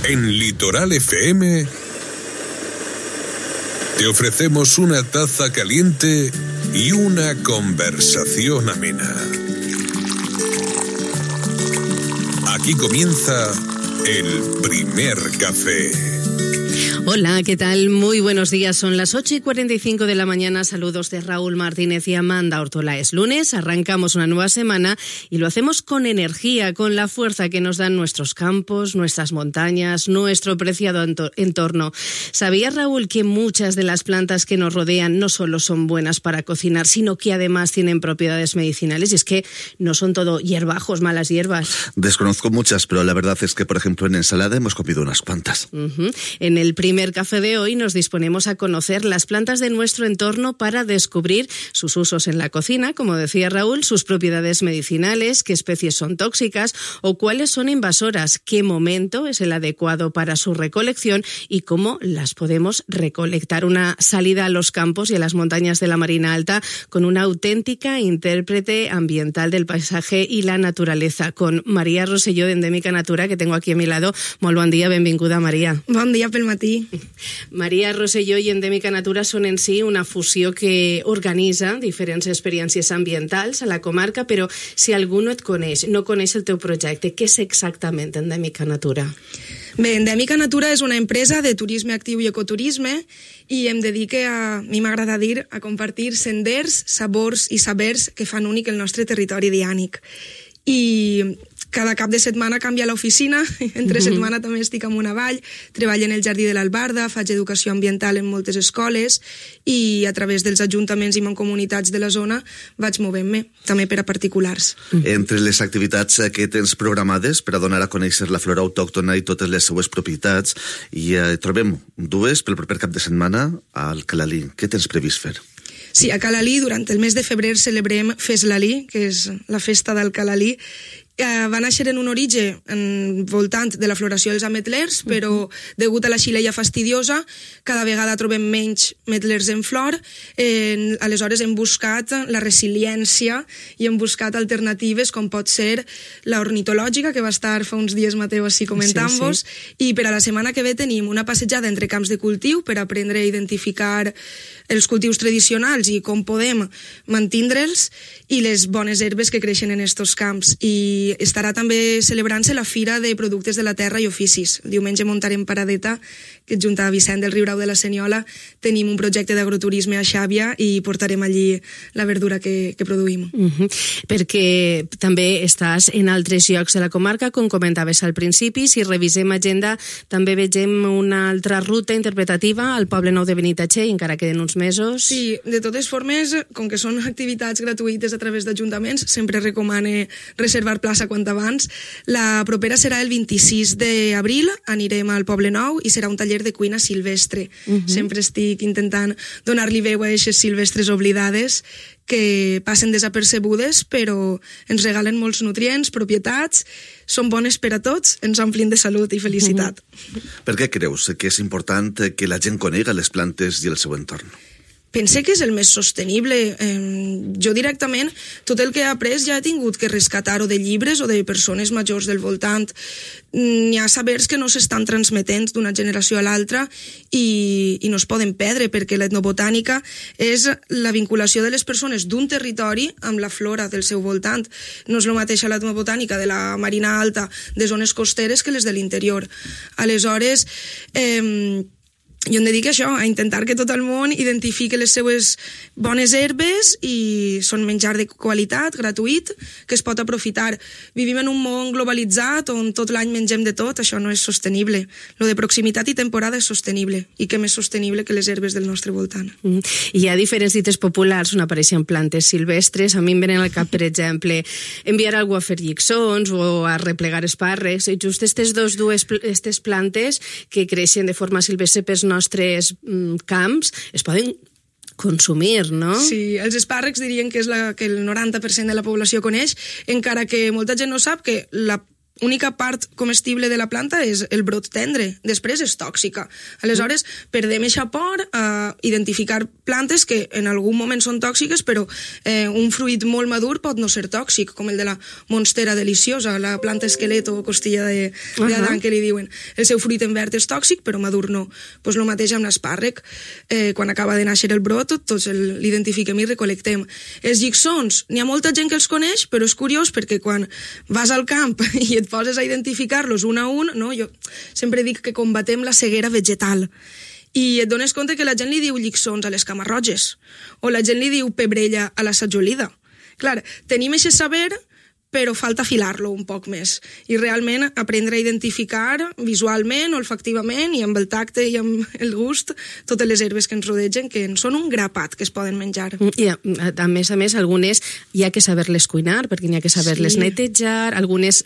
En Litoral FM te ofrecemos una taza caliente y una conversación amena. Aquí comienza el primer café. Hola, ¿qué tal? Muy buenos días. Son las 8:45 de la mañana. Saludos de Raúl Martínez y Amanda Ortola. Es lunes, arrancamos una nueva semana y lo hacemos con energía, con la fuerza que nos dan nuestros campos, nuestras montañas, nuestro preciado entorno. ¿Sabías, Raúl, que muchas de las plantas que nos rodean no solo son buenas para cocinar, sino que además tienen propiedades medicinales? Y es que no son todo hierbajos, malas hierbas. Desconozco muchas, pero la verdad es que, por ejemplo, en ensalada hemos comido unas cuantas. En el primer café de hoy nos disponemos a conocer las plantas de nuestro entorno para descubrir sus usos en la cocina, como decía Raúl, sus propiedades medicinales, qué especies son tóxicas o cuáles son invasoras, qué momento es el adecuado para su recolección y cómo las podemos recolectar. Una salida a los campos y a las montañas de la Marina Alta con una auténtica intérprete ambiental del paisaje y la naturaleza, con Maria Rosselló de Endèmica Natura, que tengo aquí a mi lado. Molt bon dia, benvinguda, Maria. Bon dia pel matí. Maria Rosselló i Endèmica Natura són en si una fusió que organitza diferents experiències ambientals a la comarca, però si algú no et coneix, no coneix el teu projecte, què és exactament Endèmica Natura? Bé, Endèmica Natura és una empresa de turisme actiu i ecoturisme i em dedique a mi m'agrada dir, a compartir senders, sabors i sabers que fan únic el nostre territori diànic. I cada cap de setmana canvia l'oficina, entre setmana també estic en una vall, treballo en el Jardí de l'Albarda, faig educació ambiental en moltes escoles i a través dels ajuntaments i mancomunitats de la zona vaig movent-me, també per a particulars. Entre les activitats que tens programades per a donar a conèixer la flora autòctona i totes les seues propietats, i trobem dues pel proper cap de setmana al Calalí. Què tens previst fer? Sí, a Calalí, durant el mes de febrer celebrem Fes Lalí, que és la festa del Calalí. Va néixer en un origen voltant de la floració dels ametlers, però degut a la xileia fastidiosa cada vegada trobem menys metlers en flor. Aleshores hem buscat la resiliència i hem buscat alternatives com pot ser la ornitològica, que va estar fa uns dies Mateu així comentant-vos, i per a la setmana que ve tenim una passejada entre camps de cultiu per aprendre a identificar els cultius tradicionals i com podem mantindre'ls i les bones herbes que creixen en estos camps. I estarà també celebrant-se la Fira de Productes de la Terra i Oficis. El diumenge muntarem Paradeta, que junt a Vicent del Riurau de la Senyola tenim un projecte d'agroturisme a Xàbia i portarem allí la verdura que produïm. Perquè també estàs en altres llocs de la comarca, com comentaves al principi. Si revisem agenda, també vegem una altra ruta interpretativa al Poble Nou de Benitatxell, encara queden uns mesos. Sí, de totes formes, com que són activitats gratuïtes a través d'ajuntaments, sempre recomane reservar plaça quant abans. La propera serà el 26 d'abril, anirem al Poble Nou i serà un taller de cuina silvestre. Sempre estic intentant donar-li veu a aquestes silvestres oblidades que passen desapercebudes, però ens regalen molts nutrients, propietats, són bones per a tots, ens omplin de salut i felicitat. Per què creus que és important que la gent conega les plantes i el seu entorn? Pense que és el més sostenible. Jo directament, tot el que he après ja he tingut que rescatar-ho de llibres o de persones majors del voltant. N'hi ha sabers que no s'estan transmetent d'una generació a l'altra i no es poden perdre, perquè l'etnobotànica és la vinculació de les persones d'un territori amb la flora del seu voltant. No és el mateix l'etnobotànica de la Marina Alta, de zones costeres, que les de l'interior. Aleshores, jo em dedico a això, a intentar que tot el món identifiqui les seues bones herbes i són menjar de qualitat, gratuït, que es pot aprofitar. Vivim en un món globalitzat on tot l'any mengem de tot, això no és sostenible. Lo de proximitat i temporada és sostenible, i què més sostenible que les herbes del nostre voltant. Hi ha diferents dites populars on apareixen plantes silvestres. A mi em venen al cap, per exemple, enviar algú a fer lliçons o a replegar esparres. I just aquestes plantes que creixen de forma silvestre pels nostres camps es poden consumir, no? Sí, els espàrrecs dirien que és que el 90% de la població coneix, encara que molta gent no sap que la única part comestible de la planta és el brot tendre, després és tòxica. Aleshores, perdem eixa por a identificar plantes que en algun moment són tòxiques, però un fruit molt madur pot no ser tòxic, com el de la monstera deliciosa, la planta esquelet o costilla d'Adam, que li diuen. El seu fruit en verd és tòxic, però madur no. Pues lo mateix amb l'espàrrec. Quan acaba de néixer el brot, tots l'identifiquem i recolectem. Els llixons, n'hi ha molta gent que els coneix, però és curiós perquè quan vas al camp i et poses a identificar-los un a un, no? Jo sempre dic que combatem la ceguera vegetal i et dones compte que la gent li diu llixons a les camarroges o la gent li diu pebrella a la sajolida. Clar, tenim aquest saber, però falta afilar-lo un poc més i realment aprendre a identificar visualment, olfactivament i amb el tacte i amb el gust totes les herbes que ens rodegen, que són un grapat que es poden menjar. I a més, algunes hi ha que saber-les cuinar, perquè n'hi ha que saber-les netejar, algunes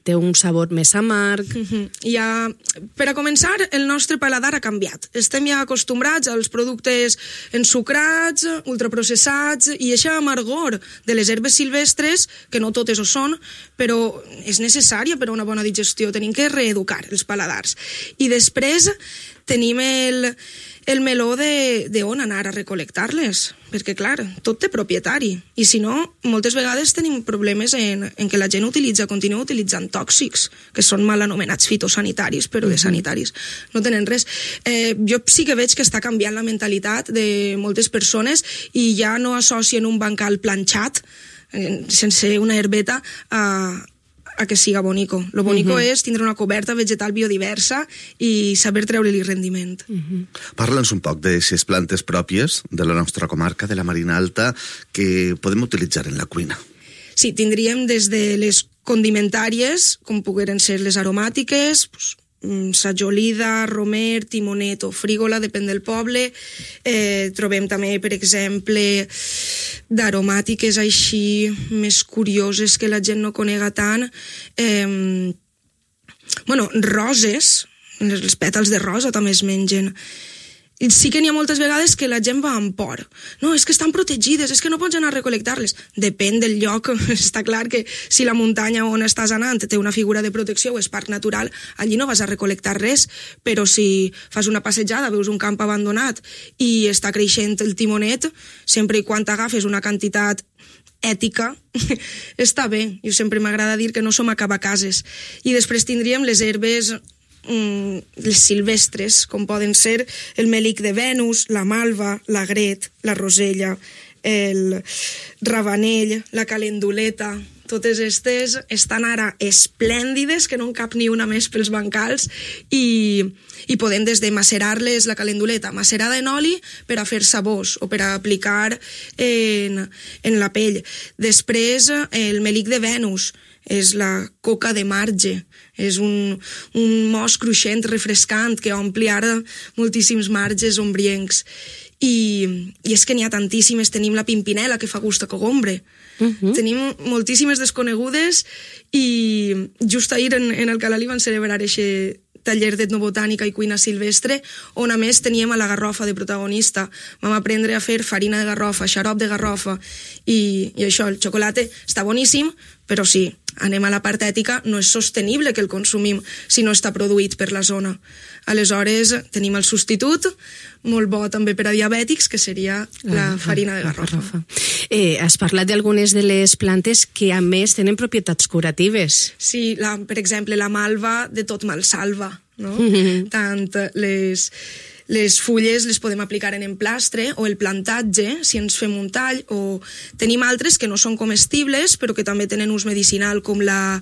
té un sabor més amarg. Per a començar, el nostre paladar ha canviat. Estem ja acostumbrats als productes ensucrats, ultraprocessats, i eixa amargor de les herbes silvestres, que no totes ho són, però és necessària per a una bona digestió. Tenim que reeducar els paladars. I després tenim el meló d'on anar a recol·lectar-les, perquè, clar, tot té propietari. I si no, moltes vegades tenim problemes en què la gent continua utilitzant tòxics, que són mal anomenats fitosanitaris, però de sanitaris no tenen res. Jo sí que veig que està canviant la mentalitat de moltes persones i ja no associen un bancal planxat sense una herbeta a que siga bonico. Lo bonico és tindre una coberta vegetal biodiversa i saber treure-li rendiment. Parla'ns un poc d'aquestes plantes pròpies de la nostra comarca, de la Marina Alta, que podem utilitzar en la cuina. Sí, tindríem des de les condimentàries, com pogueren ser les aromàtiques, sajolida, romer, timonet o frígola, depèn del poble. Trobem també, per exemple, d'aromàtiques així més curioses que la gent no conega tant. Roses, els pètals de rosa també es mengen. Sí que n'hi ha moltes vegades que la gent va amb por. No, és que estan protegides, és que no pots anar a recol·lectar-les. Depèn del lloc. Està clar que si la muntanya on estàs anant té una figura de protecció o és parc natural, allí no vas a recol·lectar res, però si fas una passejada, veus un camp abandonat i està creixent el timonet, sempre i quan t'agafes una quantitat ètica, està bé. Jo sempre m'agrada dir que no som acabacases. I després tindríem les herbes les silvestres, com poden ser el melic de Venus, la malva, l'agret, la rosella, el ravanell, la calenduleta. Totes aquestes estan ara esplèndides, que no en cap ni una més pels bancals, i podem des de macerar-les, la calenduleta macerada en oli per a fer sabors o per a aplicar en la pell. Després el melic de Venus és la coca de marge, és un mos cruixent, refrescant, que ompli ara moltíssims marges ombriencs. I és que n'hi ha tantíssimes. Tenim la pimpinela, que fa gust a cogombre. Tenim moltíssimes desconegudes i just ahir en el Calalí van celebrar aquest taller d'etnobotànica i cuina silvestre, on a més teníem a la garrofa de protagonista. Vam aprendre a fer farina de garrofa, xarop de garrofa, i això, el xocolate està boníssim, però sí, anem a la part ètica, no és sostenible que el consumim si no està produït per la zona. Aleshores, tenim el substitut, molt bo també per a diabètics, que seria la farina de garrofa. Has parlat d'algunes de les plantes que, a més, tenen propietats curatives. Sí, per exemple, la malva de tot mal salva, no? Tant les fulles les podem aplicar en emplastre, o el plantatge, si ens fem un tall, o tenim altres que no són comestibles, però que també tenen ús medicinal, com la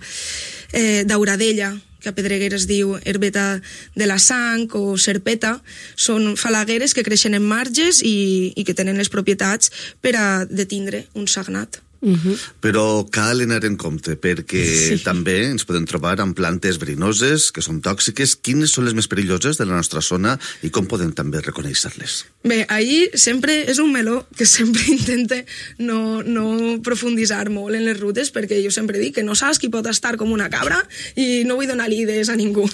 dauradella, que a Pedreguer es diu herbeta de la sang, o serpeta. Són falagueres que creixen en marges i que tenen les propietats per a detindre un sagnat. Però cal anar en compte, perquè també ens podem trobar amb plantes verinoses, que són tòxiques. Quines són les més perilloses de la nostra zona i com podem també reconèixer-les? Bé, ahir sempre és un meló que sempre intente no profunditzar molt en les rutes, perquè jo sempre dic que no saps qui pot estar com una cabra i no vull donar idees a ningú.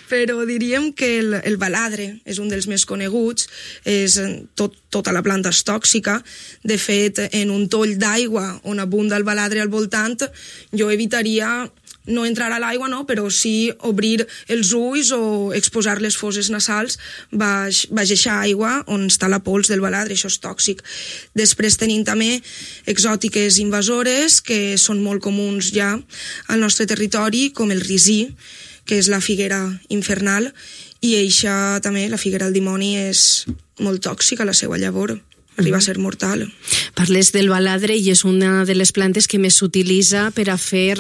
Però diríem que el baladre és un dels més coneguts, és tot tota la planta és tòxica. De fet, en un toll d'aigua on abunda el baladre al voltant, jo evitaria no entrar a l'aigua, no, però sí obrir els ulls o exposar les fosses nasals baix eixa aigua on està la pols del baladre, això és tòxic. Després tenim també exòtiques invasores que són molt comuns ja al nostre territori, com el risí, que és la figuera infernal, i eixa també, la figuera del dimoni, és molt tòxica, la seva llavor arriba a ser mortal. Parles del baladre i és una de les plantes que més s'utilitza per a fer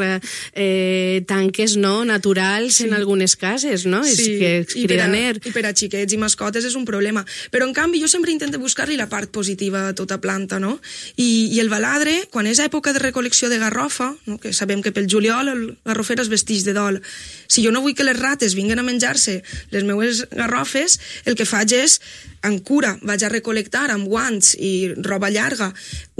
tanques naturals en algunes cases, no? Sí, és que és cridaner. I per a xiquets i mascotes és un problema. Però, en canvi, jo sempre intento buscar-li la part positiva a tota planta, no? I el baladre, quan és època de recol·lecció de garrofa, no? Que sabem que pel juliol el garrofer es vesteix de dol, si jo no vull que les rates vinguen a menjar-se les meues garrofes, el que faig és, en cura, vaig a recol·lectar amb guants i roba llarga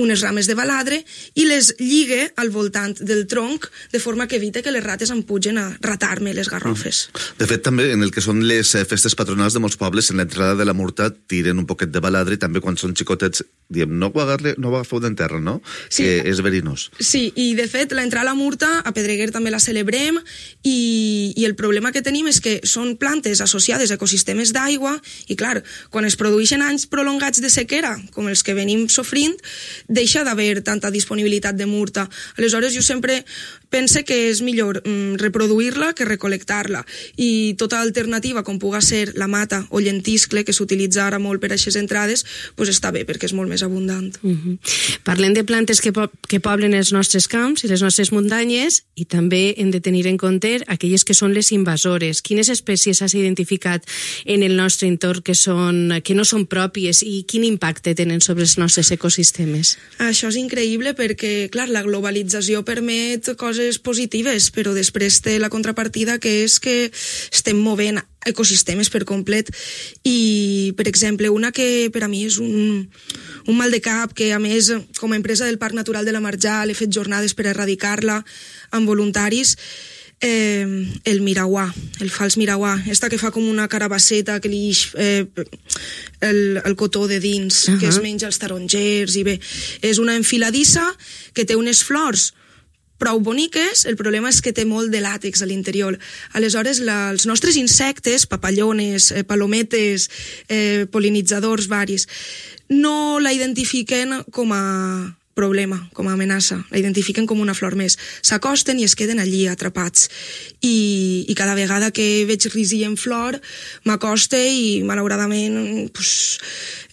unes rames de baladre i les lligue al voltant del tronc de forma que evite que les rates em pugen a ratar-me les garrofes. De fet, també en el que són les festes patronals de molts pobles, en l'entrada de la murta tiren un poquet de baladre i també quan són xicotets diem, no ho agafeu d'enterra, no? Sí. Que és verinós. Sí, i de fet l'entrada a la murta a Pedreguer també la celebrem i el problema que tenim és que són plantes associades a ecosistemes d'aigua i clar, quan es produeixen anys prolongats de sequera, com els que venim sofrint, deixa d'haver tanta disponibilitat de murta. Aleshores, jo sempre pense que és millor reproduir-la que recol·lectar-la. I tota alternativa, com puga ser la mata o llentiscle, que s'utilitza ara molt per a aquestes entrades, doncs està bé, perquè és molt més abundant. Parlem de plantes que poblen els nostres camps i les nostres muntanyes i també hem de tenir en compte aquelles que són les invasores. Quines espècies has identificat en el nostre entorn que no són pròpies i quin impacte tenen sobre els nostres ecosistemes? Això és increïble perquè, clar, la globalització permet coses positives, però després té la contrapartida que és que estem movent ecosistemes per complet i, per exemple, una que per a mi és un mal de cap, que a més, com a empresa del Parc Natural de la Marjal he fet jornades per erradicar-la amb voluntaris, el mirauà, el fals mirauà, esta que fa com una carabasseta que li el cotó de dins, que es menja els tarongers i bé, és una enfiladissa que té unes flors prou boniques, el problema és que té molt de làtex a l'interior. Aleshores, els nostres insectes, papallones, palometes, pol·linitzadors varis, no la identifiquen com a problema, com a amenaça. La identifiquen com una flor més. S'acosten i es queden allí atrapats. I cada vegada que veig risí en flor, m'acoste i, malauradament,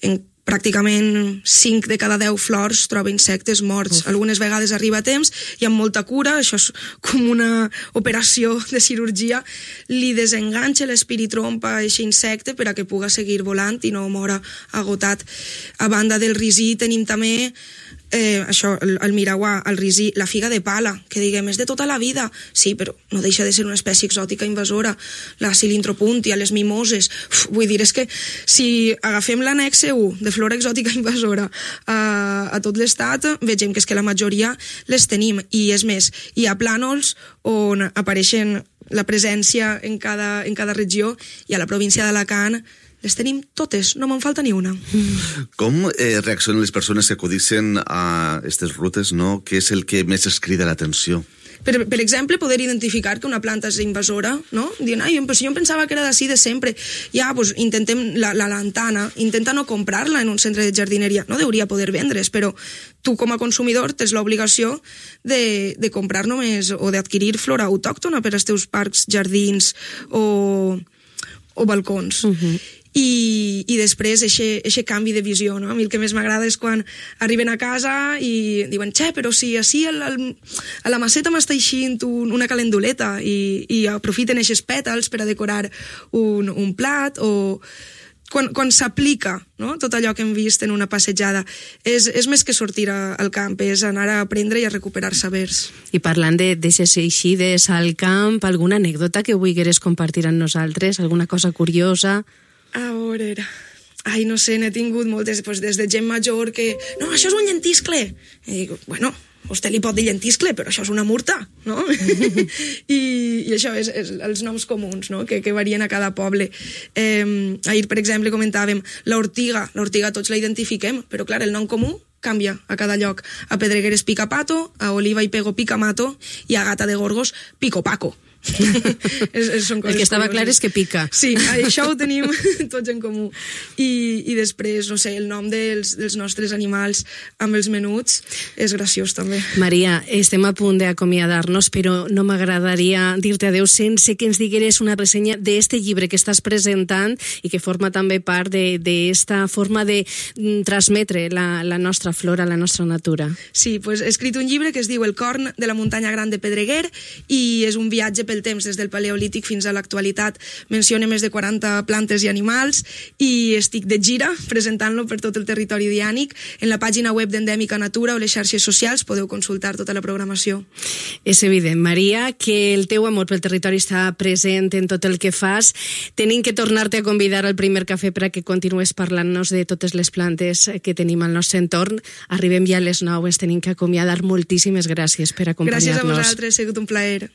en pràcticament 5 de cada 10 flors troba insectes morts. Algunes vegades arriba a temps i amb molta cura, això és com una operació de cirurgia, li desenganxa l'espiritrompa a aquest insecte per a que puga seguir volant i no mora agotat. A banda del risí tenim també això, el mirauà, el risí, la figa de pala, que diguem, és de tota la vida. Sí, però no deixa de ser una espècie exòtica invasora. La cilintropuntia, les mimoses. Vull dir, és que si agafem l'annexe 1 de flora exòtica invasora a tot l'estat, vegem que és que la majoria les tenim. I és més, hi ha plànols on apareixen la presència en cada regió i a la província d'Alacant les tenim totes, no me'n falta ni una. Com reaccionen les persones que acudixen a aquestes rutes, no? Què és el que més es crida l'atenció? Per exemple, poder identificar que una planta és invasora, no? Dient, però si jo em pensava que era d'ací de sempre. Ja, doncs intentem la lantana, intenta no comprar-la en un centre de jardineria. No hauria poder vendre's, però tu com a consumidor tens l'obligació de comprar només o d'adquirir flora autòctona per als teus parcs, jardins o balcons. I després eixe canvi de visió, no? A mi el que més m'agrada és quan arriben a casa i diuen, però si així a la maceta m'està eixint una calenduleta i aprofiten eixes pètals per a decorar un plat o quan s'aplica, no? Tot allò que hem vist en una passejada és més que sortir al camp, és anar a aprendre i a recuperar sabers. I parlant d'aixes eixides al camp, alguna anècdota que vulgueres compartir amb nosaltres, alguna cosa curiosa? A veure, no sé, n'he tingut moltes, des de gent major que, no, això és un llentiscle. I dic, bueno, vostè li pot dir llentiscle, però això és una murta, no? I això és els noms comuns, no? que varien a cada poble. Ahir, per exemple, comentàvem l'ortiga tots la identifiquem, però clar, el nom comú canvia a cada lloc. A Pedreguer és picapato, a Oliva i Pego picamato i a Gata de Gorgos picopaco. El que estava clar és que pica. Sí, això ho tenim tots en comú. I després, no sé, el nom dels nostres animals amb els menuts és graciós també. Maria, estem a punt d'acomiadar-nos, però no m'agradaria dir-te adeu sense que ens digueres una ressenya d'este llibre que estàs presentant i que forma també part d'esta forma de transmetre la nostra flora, la nostra natura. Sí, pues he escrit un llibre que es diu El corn de la muntanya gran de Pedreguer i és un viatge pel temps des del paleolític fins a l'actualitat. Menciona més de 40 plantes i animals i estic de gira presentant-lo per tot el territori diànic. En la pàgina web d'Endèmica Natura o les xarxes socials podeu consultar tota la programació. És evident, Maria, que el teu amor pel territori està present en tot el que fas. Tenim que tornar-te a convidar al primer cafè per a que continues parlant-nos de totes les plantes que tenim al nostre entorn. Arribem ja a les 9, ens tenim que acomiadar. Moltíssimes gràcies per acompanyar-nos. Gràcies a vosaltres, ha sigut un plaer.